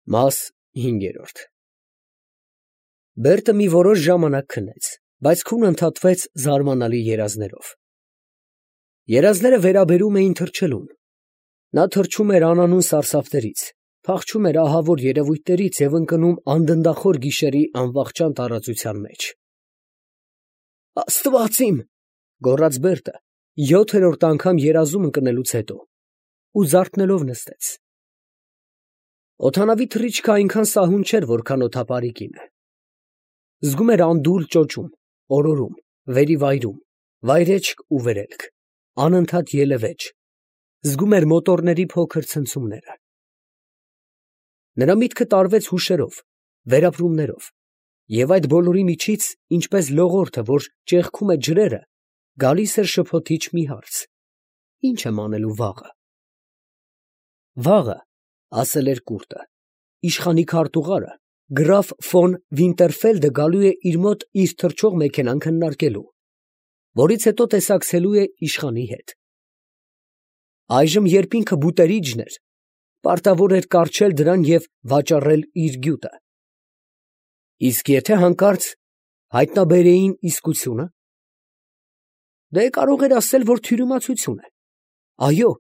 Մաս 5 Բերտը մի որոշ ժամանակ քնեց, բայց քունը ընդհատվեց զարմանալի երազներով։ Երազները վերաբերում էին թռչելուն։ Նա թռչում էր անանուն սարսափներից, փախչում էր ահավոր երևույթներից և ընկնում անդնդախոր գիշերի անվախճան տարածության մեջ։ Աստված իմ, գոռաց Բերտը 7-րդ անգամ երազում ընկնելուց հետո ու զարթնելով նստեց։ Օդանավի թռիչքը այնքան սահուն չէր, որքան օդապարի կինը։ Զգում էր անդուլ ճոճում, օրորում, վերիվայրում, վայրեջք ու վերելք, անընդհատ ելևէջ, զգում էր մոտորների փոքր ցնցումները։ Նրա միտքը տարվեց հուշերով, վերապրումներով, և այդ բոլորի միջից, ինչպես լողորդը, որ ճեղքում է ջրերը, գալիս էր շփոթիչ մի հարց. ի՞նչ եմ անելու վաղը։ Վաղը, ասել էր Կուրտը, իշխանի քարտուղարը, գրաֆ ֆոն Վինտերֆելդը գալու է իր մոտ իր թռչող մեքենան քննարկելու, որից հետո տեսակցելու է իշխանի հետ։ Այժմ, երբ ինքը բուտերիջն էր, պարտավոր էր կառչել դրան և վաճառել իր գյուտը։ Իսկ եթե հանկարծ հայտնաբերեին իսկությունը, դե կարող էր ասել, որ թյուրիմացություն է։ Այո,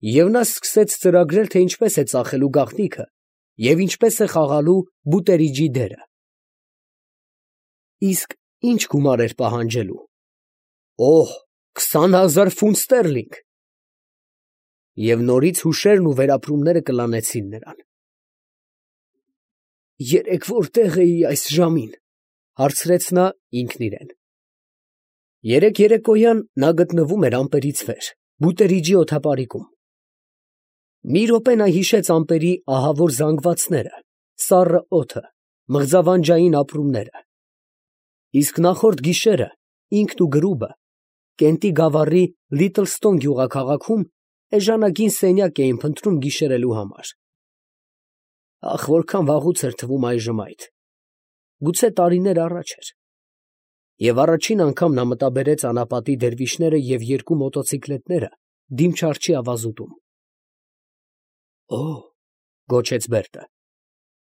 և նա սկսեց ծրագրել, թե ինչպես է ծախելու գաղտնիքը և ինչպես է խաղալու բուտերիջի դերը։ Իսկ ի՞նչ գումար էր պահանջելու։ Օհ, 20,000 ֆունտ ստերլինգ։ Եվ նորից հուշերն ու վերապրումները կլանեցին նրան։ Երեկ որտե՞ղ էի այս ժամին, հարցրեց նա ինքն իրեն։ Երեկ երեկոյան նա գտնվում էր ամպերից վեր, բուտերիջի օդապարիկում։ Մի րոպե նա հիշեց ամպերի ահավոր զանգվածները, սառը օդը, մղձավանջային ապրումները։ Իսկ նախորդ գիշերը ինքն ու գրուբը Կենտի գավառի Լիթլստոն գյուղաքաղաքում էժանագին սենյակ էին փնտրում գիշերելու համար։ Ախ, որքան վաղուց էր թվում այժմ այդ, գուցե տարիներ առաջ էր։ Եվ առաջին անգամ նա մտաբերեց անապատի դերվիշները և երկու մոտոցիկլետները դիմչարջի ավազուտում։ Օհ, գոչեց Բերտը,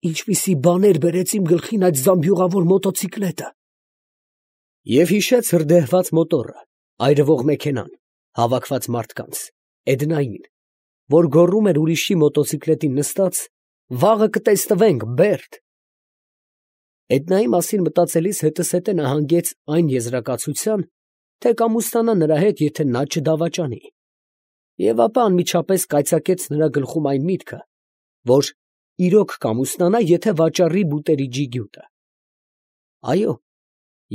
ինչպիսի բաներ բերեց իմ գլխին այդ զամբյուղավոր մոտոցիկլետը։ Եվ հիշեց հրդեհված մոտորը, այրվող մեքենան, հավաքված մարդկանց, Էդնային, որ գոռում էր ուրիշի մոտոցիկլետին նստած. «Վաղը կտեսնվենք, Բերտ»։ Էդնայի մասին մտածելիս հետզհետե նա հանգեց այն եզրակացության, թե կամուսնանա նրա հետ, եթե նա չդավաճանի, և ապա անմիջապես կայծակեց նրա գլխում այն միտքը, որ իրոք կամուսնանա, եթե վաճառի բուտերիջի գյուտը։ Այո,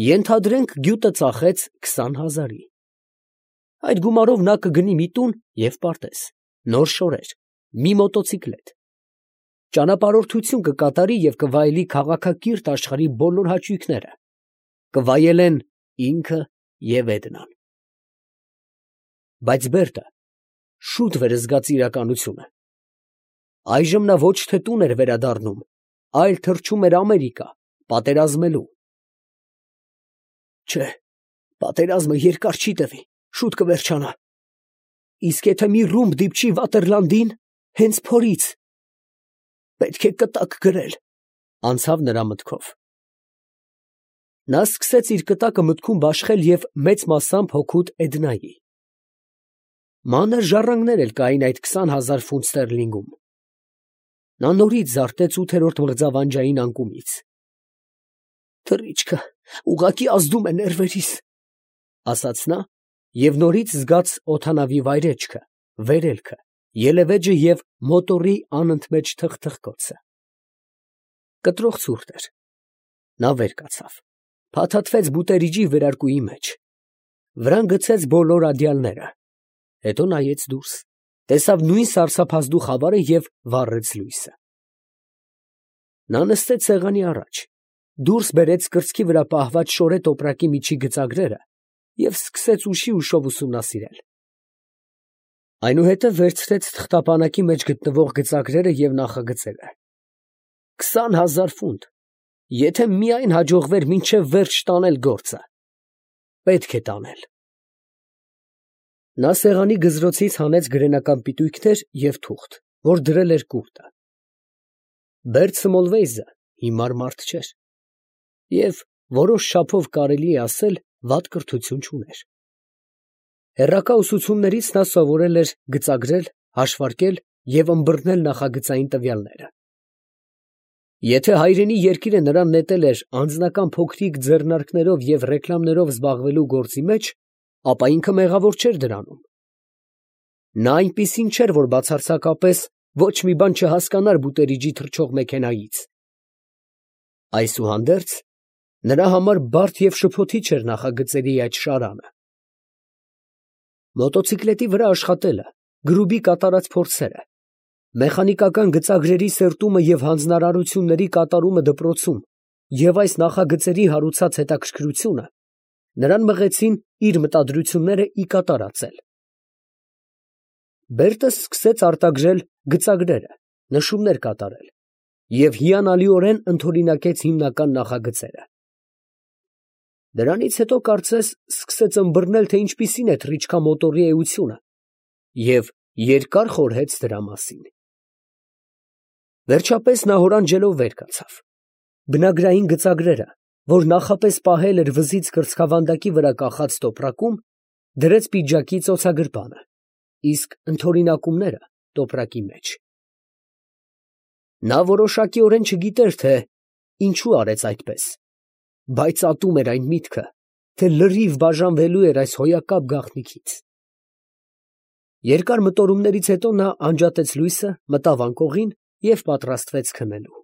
ենթադրենք գյուտը ծախեց 20,000-ի։ Այդ գումարով նա կգնի մի տուն և պարտեզ, նոր շորեր, մի մոտոցիկլետ, ճանապարհորդություն կկատարի և կվայելի քաղաքակիրթ աշխարհի բոլոր հաճույքները, կվայելեն ինքը և Էդնան։ Բայց Բերտը շուտ վերզգաց իրականությունը։ Այժմ նա ոչ թե տուն էր վերադառնում, այլ թռչում էր Ամերիկա, պատերազմելու։ Չէ, պատերազմը երկար չի տևի, շուտ կվերջանա։ Իսկ եթե մի ռումբ դիպչի Վատերլանդին, հենց փորից, պետք է կտակ գրել, անցավ նրա մտքով։ Նա սկսեց իր կտակը մտքում բաշխել և մեծ մասամբ հօգուտ Էդնայի։ Մանր ժառանգներ էլ կային այդ 20,000 ֆունտ ստերլինգում։ Նա նորից զարթեց 8-րդ մղձավանջային անկումից։ Թռիչքը ուղղակի ազդում է ներվերիս, ասաց նա, և նորից զգաց օդանավի վայրեջքը, վերելքը, ելևէջը և մոտորի անընդմեջ թխթխկոցը։ Կտրող ցուրտ էր։ Նա վեր կացավ, փաթաթվեց բուտերիջի վերարկուի մեջ, վրան գցեց բոլոր ադյալները, հետո նայեց դուրս, տեսավ նույն սարսափազդու խավարը և վառեց լույսը։ Նա նստեց սեղանի առաջ, դուրս բերեց կրծքի վրա պահված շորե տոպրակի միջի գծագրերը և սկսեց ուշի ուշով ուսումնասիրել։ Այնուհետև վերցրեց թղթապանակի մեջ գտնվող գծագրերը և նախագծերը։ 20,000 ֆունտ, եթե միայն հաջողվեր մինչև վերջ տանել գործը։ Պետք է տանել։ Նա սեղանի գզրոցից հանեց գրենական պիտույքներ և թուղթ, որ դրել էր Կուրտը։ Բերդ Սմոլվեյզը հիմար մարդ չէր և որոշ չափով կարելի է ասել վատ կրթություն չուներ։ Հեռակա ուսուցումներից նա սովորել էր գծագրել, հաշվարկել և ըմբռնել նախագծային տվյալները։ Եթե հայրենի երկիրը նրան նետել էր անձնական փոքրիկ ձեռնարկներով և ռեկլամներով զբաղվելու գործի մեջ, ապա ինքը մեղավոր չէր դրանում։ Նա այնպիսին չէր, որ բացարձակապես ոչ մի բան չհասկանար բուտերիջի թռչող մեքենայից։ Այսուհանդերձ, նրա համար բարդ և շփոթիչ էր նախագծերի այդ շարանը։ Մոտոցիկլետի վրա աշխատելը, գրուբի կատարած փորձերը, մեխանիկական գծագրերի սերտումը և հանձնարարությունների կատարումը դպրոցում և այս նախագծերի հարուցած հետաքրքրությունը նրան մղեցին իր մտադրությունները ի կատար ածել։ Բերտը սկսեց արտագրել գծագրերը, նշումներ կատարել և հիանալիորեն ընդօրինակեց հիմնական նախագծերը։ Դրանից հետո, կարծես, սկսեց ըմբռնել, թե ինչպիսին է թռիչքամոտորի էությունը և երկար խորհեց դրա մասին։ Վերջապես նա հորանջելով վեր կացավ։ Բնագրային գծագրերը, որ նախապես պահել էր վզից կրծքավանդակի վրա կախած տոպրակում, դրեց պիջակի ծոցագրպանը, իսկ ընդօրինակումները տոպրակի մեջ։ Նա որոշակիորեն չգիտեր, թե ինչու արեց այդպես, բայց ատում էր այն միտքը, թե լրիվ բաժանվելու էր այս հոյակապ գաղտնիքից։ Երկար մտորումներից հետո նա անջատեց լույսը, մտավ անկողին և պատրաստվեց քնելու։